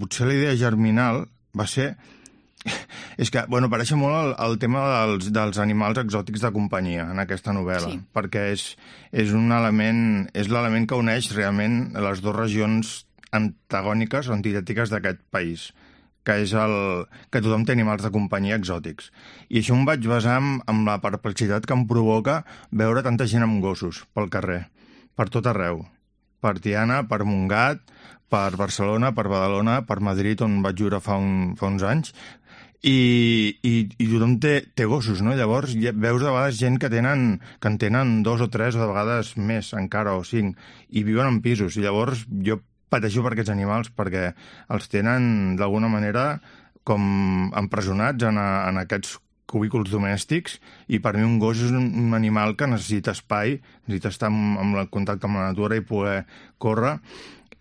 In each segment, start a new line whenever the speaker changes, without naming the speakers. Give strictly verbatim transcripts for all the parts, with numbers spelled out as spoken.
potser la idea germinal va ser... És que, bueno, pareix molt el, el tema dels, dels animals exòtics de companyia en aquesta novel·la, sí. perquè és, és un element, és l'element que uneix realment les dues regions antagòniques o antitètiques d'aquest país, que és el que tothom té animals de companyia exòtics. I això em vaig basar en, en la perplexitat que em provoca veure tanta gent amb gossos pel carrer, per tot arreu. Per Tiana, per Montgat, per Barcelona, per Badalona, per Madrid, on vaig viure fa, un, fa uns anys, i, i, i tothom té, té gossos, no? Llavors veus de vegades gent que tenen que en tenen dos o tres o de vegades més encara, o cinc, i viuen en pisos, i llavors jo pateixo per aquests animals perquè els tenen d'alguna manera com empresonats en, a, en aquests cubículs domèstics, i per mi un gos és un, un animal que necessita espai, necessita estar en, en el contacte amb la natura i poder córrer.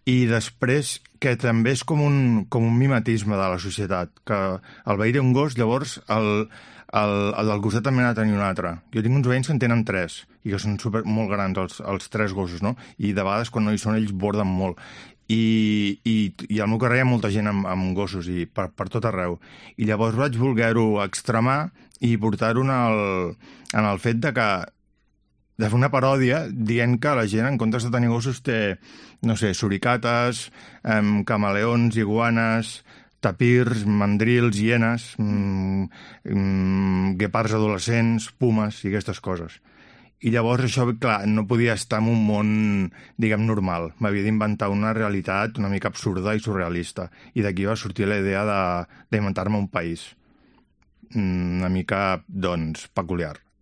I després que també és com un, com un mimetisme de la societat, que el veí té un gos, llavors el, el, el del costat també n'ha de tenir un altre. Jo tinc uns veïns que en tenen tres, i que són super, molt grans els, els tres gossos, no? I de vegades quan no hi són ells borden molt. I, i, i al meu carrer hi ha molta gent amb, amb gossos, i per, per tot arreu. I llavors vaig voler-ho extremar i portar-ho en el, en el fet de que de fer una paròdia dient que la gent, en comptes de tenir gossos, té, no sé, suricates, eh, camaleons, iguanes, tapirs, mandrils, hienes, mm, mm, guepards adolescents, pumes i aquestes coses. I llavors això, clar, no podia estar en un món, diguem, normal. M'havia d'inventar una realitat una mica absurda i surrealista. I d'aquí va sortir la idea de, d'inventar-me un país una mica, doncs, peculiar.